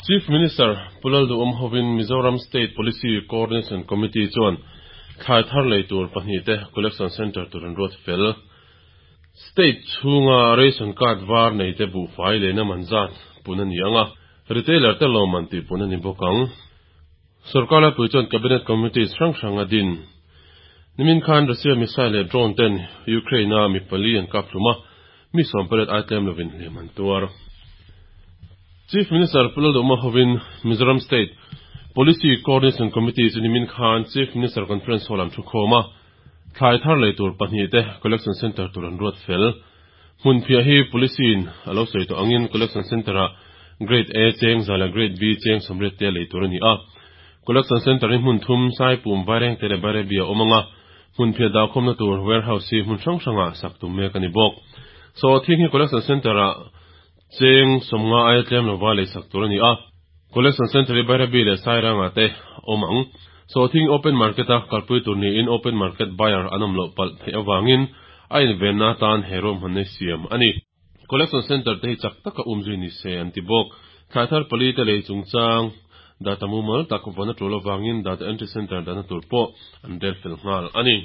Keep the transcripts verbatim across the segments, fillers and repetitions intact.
Chief Minister Pu Lalduhoma hovin Mizoram State Policy Coordination Committee chuan thlai thar lei tur pahnih te Collection Centre tur an ruat fel. State chhunga ration card var nei te buhfai leina man zat pun a ni ang a, retailer te lawmman tih pun a ni bawk ang. Sorkar laipui chuan Cabinet Committees hrang hrang a din. Nimin khan Russia missile leh drone ten Ukraine-a mi pali an kap hlum a, mi sawm pariat ai tlem lovin hliam an tuar. Chief Minister Pu Lalduhoma hovin Mizoram State Policy Coordination Committee chu nimin khan Chief Minister Conference Hall an thu khawm a, thlai thar lei tur pahnih te Collection Centre tur an ruat fel. Hmunphiah hi Policy-in a lo sawi tawh angin Collection Centre-ah Grade A cheng za leh Grade B cheng sawmriat te lei tur a ni a. Collection Centre hi hmun thum, Saipum, Vairengte leh Bairabi a awm ang a, hmunphiah dahkhawmna tur warehouse hi hmun hrang hrangah sak tum mek a ni bawk. Sawhthing hi Collection Centre-ah cheng sawmnga aia tlem lova lei sak tur a ni a, Collection Centre hi Bairabi leh Sairangah te a awm ang. Sawhthing open market-a kalpui tur niin open market buyer an awm loh palh theih avangin a invenna atan he ruahmanna hi siam a ni. Collection Centre te hi chak taka umzui ni se an ti bawk. Thlai thar pali te lei chungchang data mumal tak vawn a tul avangin data entry centre dahna tur pawh an rel fel nghal a ni.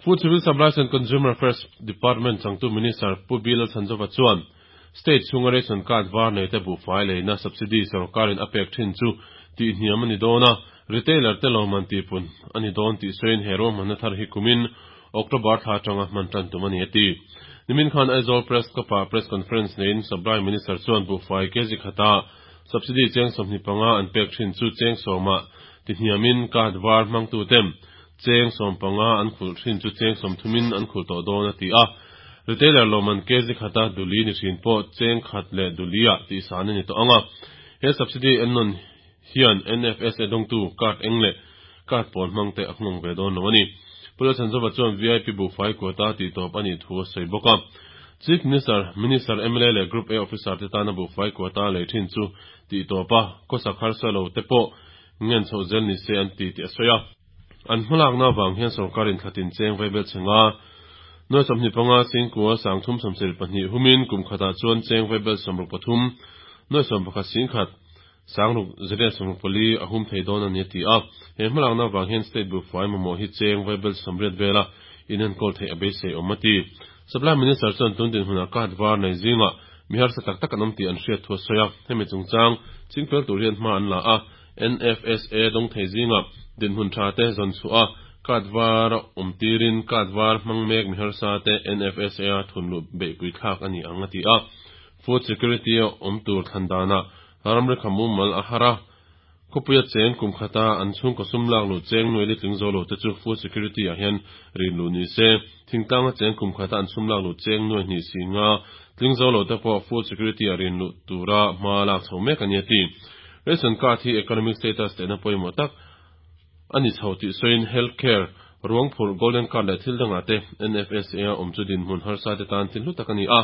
Food Civil Supplies and Consumer Affairs Department changtu Minister Pu Bill Lalchhanzova chuan State chhunga ration card var nei te buhfai leina subsidy sorkarin a pek thin chu tihhniam a ni dawn a, retailer te lawmman tihpun a ni dawn tih sawiin he ruahmanna thar hi kumin October thla atanga hman tan tum a ni a ti. Nimin khan Aizawl Press Club-ah press conference neiin Supply Minister chuan buhfai kg khata subsidy cheng sawmhnih panga an pek thin chu cheng sawmah tihhniamin card var hmangtute'n cheng sawm panga an khulh thin chu cheng sawm thumin an khulh tawh dawn a ti a. Retailer lawmman kg khata duli ni thin pawh cheng khat leh duliah tihsan a ni tawh ang a. He subsidy ennawn hian N F S A dawngtu card eng leh card pawl hmangte a nghawng ve dawn lo a ni. Pu Lalchhanzova chuan V I P buhfai quota tihtawp a nih thu a sawi bawk a. Chief Minister, Minister, M L A leh Group A officer te tana buhfai quota lei thin chu tihtawp a, khawsak harsa lo te pawh ngen chhoh zel ni se an ti tih a sawi a. An hmalakna avang hian sorkarin thlatin cheng vaibel chhenga nuai sawmhnih panga singkua sangthum sawmsarih pahnih humin kum khatah chuan cheng vaibel sawmruk pathum nuai sawm pakhat singkhat sangruk zariat sawmruk pali a hum thei dawn a ni a ti a. He hmalakna avang hian state buhfai mamawh hi cheng vaibel sawmriat vela inenkawl theih a beisei awm a ti. Supply Minister chuan tun dinhmunah card var nei zingah mi harsa tak tak an awm tih an hriat thu a sawi a. Hemi chungchang chingfel tur hian hma an la a, N F S A dawng thei zingah dinhmun tha te zawn chhuah a, card var a awm tirin card var hmang mek mi harsa te N F S A a thunluh beihpui thlak a ni ang a ti a. Food security a awm tur thlan danah ramri kha mumal a har a, khawpuia cheng kum khata an chhungkaw sum lak luh cheng nuai li tling zo lo te chu food security ah hian rin luh ni se, thingtlanga cheng kum khata an sum lak luh cheng nuai hnih si nga tling zo lo te pawh food security ah rin luh tura hma lak chho mek a ni a ti. Ration card hi economic status tehna pawimawh tak a ni chho tih sawiin health care, ruang phurh golden card leh thil dangah te N F S A a awm chu dinhmun harsa te tan thil hlu tak a ni a.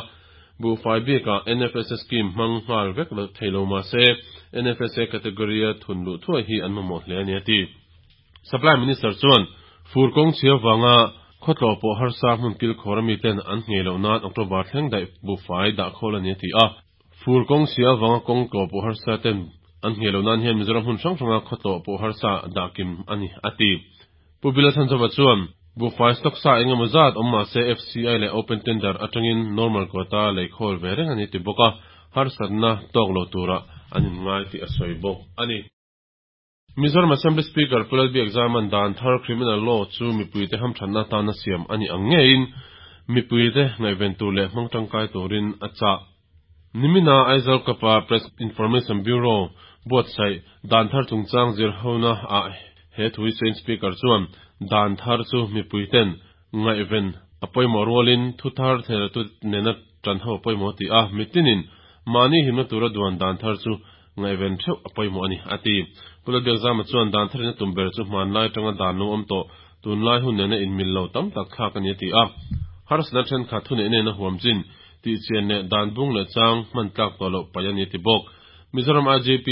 Buhfai bikah N F S A scheme hmang nghal vek lo thei lo mah se N F S A category a thun luh thuai hi an mamawh hle a ni a ti. Supply Minister chuan fur kawng chhia wanga khawtlaw pawh harsa hmun kil khawr ami ten an nghei loh nan October thleng daih buhfai dah khawl a ni a ti a. Fur kawng chhia wanga kawng tlaw pawh harsa ten an nghei loh nan hian Mizoram hmun hrang hranga khawtlaw pawh harsa dah kim a ni a ti. Pu Bill Lalchhanzova chuan buhfai stock sa engemaw zat awm mah se F C I leh open tender atangin normal quota lei khawl ve reng a ni ti bawk a, harsatna tawk lo tura an inngai tih a sawi bawk a ni. Mizoram Assembly Speaker Pu Lalbiakzama'n dan thar criminal law chu mipuite hamthanna tana siam a ni ang ngeiin mipuite ngaihven tur leh hmang tangkai turin a chah. Nimina Aizawl Club-a Press Information Bureau buatsaih dan thar chungchang zir hona ah he thui sawiin Speaker chuan dan thar chu mipuiten ngaihven a pawimawh rualin thu thar thelatu nena tan ho pawimawh ti a, mitinin mahni himna tura duan dan thar chu ngaihven theuh a pawimawh a ni a ti. Pu Lalbiakzama chuan dan tharina tum ber chu hmanlai tanga dan lo awm tawh tunlai hun nena inmil lo tam tak thlak a ni a ti a. Harsatna thenkhat thu nei nena huam chin tih chian leh dan bung leh chang hman tlak tawh loh paih a ni ti bawk. Mizoram I G P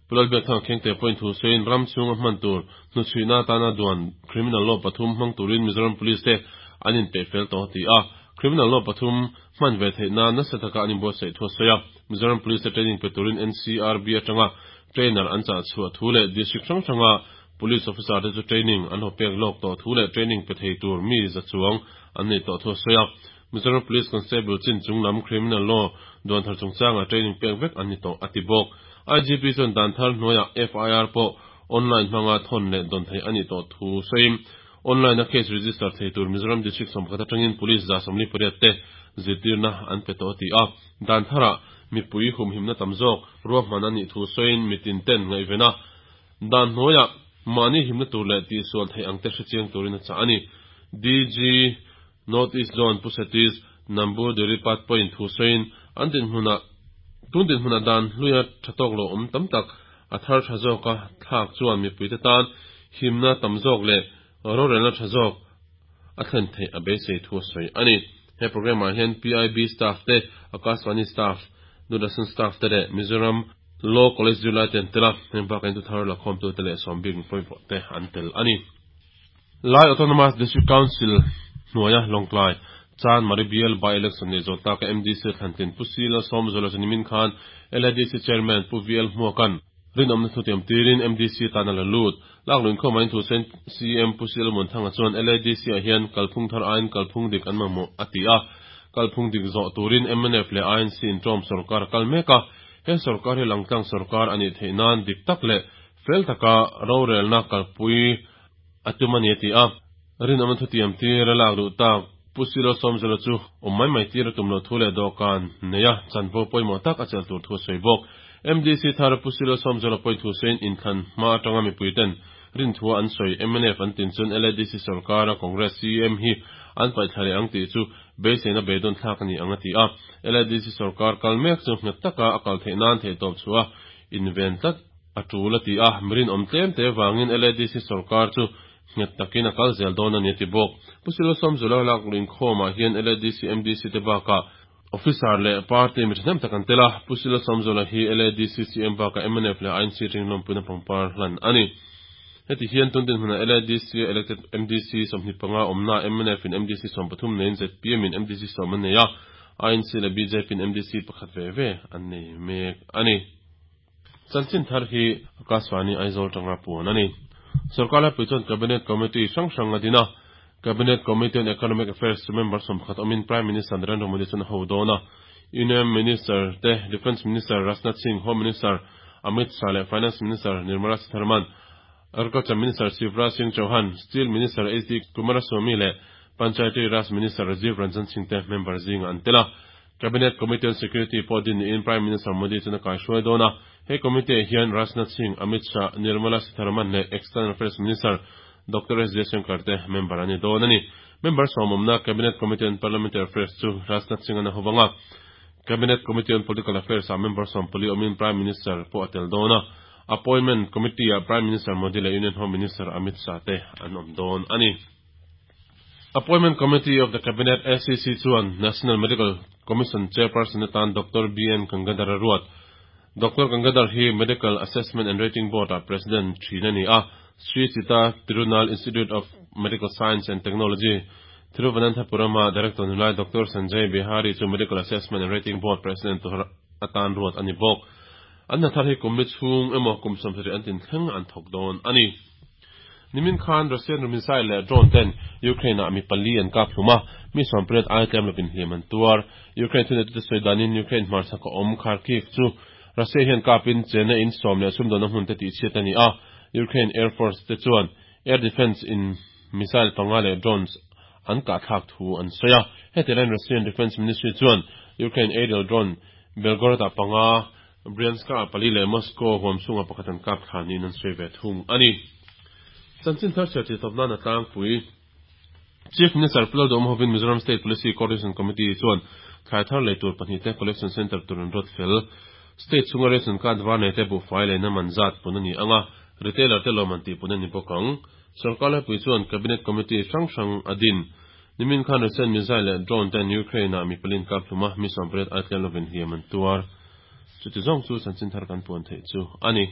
Pu Lalbiakthanga Khiangte pawhin thu sawiin ram chhunga hman tur hnuchhuihna atana duan criminal law pathum hmang turin Mizoram Police te an inpeih fel tawh a ti a. Criminal law pathum hman ve theih nan nasa taka an inbuatsaih thu a sawi a. Mizoram Police te training pe turin N C R B atanga trainer an chah chhuah thu leh district hrang hranga police officer te chu training an ho pek lawk tawh thu leh training pe thei tur mi za chuang an nei tawh thu a sawi a. Mizoram Police Constable chin chunglam criminal law duan thar chungchanga training pek vek an ni tawh a ti bawk. I G P chuan dan thar hnuaiah F I R pawh online hmanga thawn leh dawn theih a nih tawh thu sawiin online a case register thei tur Mizoram district sawmkhat atangin police za sawmli pariat te zirtirna an pe tawh a ti a. Dan tharah mipui humhimna tam zawk ruahman a nih thu sawiin mitin ten ngaihvena dan hnuaiah mahni himna tur leh tihsual theih ang te hrechiang turin a chah a ni. D G North East Zone Pu Satish Namboodiripad pawhin thu sawiin an dinhmunah tun dinhmunah dan hluia tha tawk lo awm tam tak a thar tha zawka thlak chuan mipuite tan himna tam zawk leh rorelna tha zawk a thlen theih a beisei thu a sawi a ni. He program ah hian P I B staff te, Akashvani staff, Doordarshan staff te leh Mizoram Law College zirlai te an tel a, heng bakah in thar lakhawm tu te leh sawmbik pawimawh te an tel a ni. Lai Autonomous District Council hnuaia Lawngtlai Chanmari bial by election nei zawh taka M D C thlantlin Pu C Lalsawmzuala chu nimin khan L A D C Chairman Pu V L Hmuaka'n rinawmna thutiam tirin M D C tan a la lut. Lakluin khawm in thu sawiin C M Pu C Lalmuanthanga chuan L A D C ah hian kalphung thar aiin kalphung dik an mamawh a ti a. Kalphung dik zawh turin M N F leh I N C inṭawm sorkar a kal mek a. He sorkar hi langtlang sorkar a nih theih nan dik tak leh fel taka rorelna kalpui a tum a ni a ti a. Rinawmna thutiam tir a lak duh tak Pu C Lalsawmzuala chu awm mai mai tir a tum loh thu leh dawhkan neia chanvo pawimawh tak a chelh tur thu a sawi bawk. M D C thar Pu C Lalsawmzuala pawhin thu sawiin inthlan hma atanga mipui ten rin thu an sawi M N F an tin chuan L A D C sorkar a Congress C M hi an paihthla leh ang tih chu beiseina beidawn thlak a ni ang a ti a. L A D C sorkar kal mek chu nghet taka a kal theih nan theihtawp chhuah inven tlat a tul a ti a. Mirin awm tlem te wangin L A D C sorkar chu nghet takin a kal zel dawn a ni a ti bawk. Pu C Lalsawmzuala lakluin khawmah hian L A D C M D C te bakah officer leh party mi thahnem tak an tel a. Pu C Lalsawmzuala hi L A D C C M bakah M N F leh I N C ringlawm puina pangpar hlan a ni. Heti hian tun dinhmunah L A D C elected M D C sawmhnih panga awmna M N F in M D C sawm pathum neiin Z P M in M D C sawm an nei a, I N C leh B J P in M D C pakhat ve ve an nei mek a ni. Chanchin thar hi Akashvani Aizawl tanga puan a ni. Sarkar laipui chuan Cabinet Committee hrang hrang a din a. Cabinet Committee on Economic Affairs chu member sawmkhat awmin Prime Minister Narendra Modi chuan a ho dawn a. Union Minister te Defence Minister Rajnath Singh, Home Minister Amit Shah leh Finance Minister Nirmala Sitharaman, Agriculture Minister Shivraj Singh Chauhan, Steel Minister H D Kumaraswamy leh Panchayati Raj Minister Rajiv Ranjan Singh te member zinga an tel a. Cabinet Committee on Security pawh din niin Prime Minister Modi chuan a kaihruai dawn a. He committee hian Rajnath Singh, Amit Shah, Nirmala Sitharaman leh External Affairs Minister Doctor S Jaishankar te member an ni dawn a ni. Member sawmawmna Cabinet Committee on Parliamentary Affairs chu Rajnath Singh an a hovanga. Cabinet Committee on Political Affairs a member sawmpali awmin Prime Minister pawh a tel dawn a. Appointment Committee a Prime Minister Modi leh Union Home Minister Amit Shah te an awm dawn a ni. Appointment Committee of the Cabinet A C C chuan National Medical Commission Chairperson atan Doctor B N Gangadhar a ruat. Doctor Gangadhar hi Medical Assessment and Rating Board a President thin a ni a. Sri Chitra Tirunal Institute of Medical Science and Technology Thiruvananthapuram a Director nilai Doctor Sanjay Bihari chu Medical Assessment and Rating Board President tur atan ruat a ni bawk. An hna thar hi kum li chhung emaw kum sawmsarih an tin thleng an thawk dawn a ni. Nimin khan Russian missile leh drone ten Ukraine ah mi pali an kap hlum a, mi sawmpariat ai tlem lovin hliam an tuar. Ukraine thuneitu te sawi danin Ukraine hmarchhak a awm Kharkiv chu Russia hian kapin chena in sawm leh sumdawn a hmun te tih chhiat a ni a. Ukraine Air Force te chuan air defence in missile panga leh drones an kah thlak thu an sawi a. Heti laiin Russian Defence Ministry chuan Ukraine aerial drone Belgorod ah panga, Bryansk ah pali leh Moscow huam chhunga pakhat an kap thla niin an sawi ve thung a ni. Chanchin thar chhiar tih tawp nan a tlangpui. Chief Minister Pu Lalduhoma hovin Mizoram State Policy Coordination Committee chuan thlai thar lei tur pahnih te collection centre tur an ruat fel. State chhunga ration card var nei te buhfai leina man zat pun a ni anga, retailer te lawm an tih pun a ni bawk ang. Sarkar laipui chuan Cabinet Committee hrang hrang a din. Nimin khan Russian missile leh drone ten Ukraine ah mi pali an kap hlum a, mi sawmpariat ai tlem lovin hliam an tuar. Chuti zawng chu chanchin thar kan puan theih chu a ni.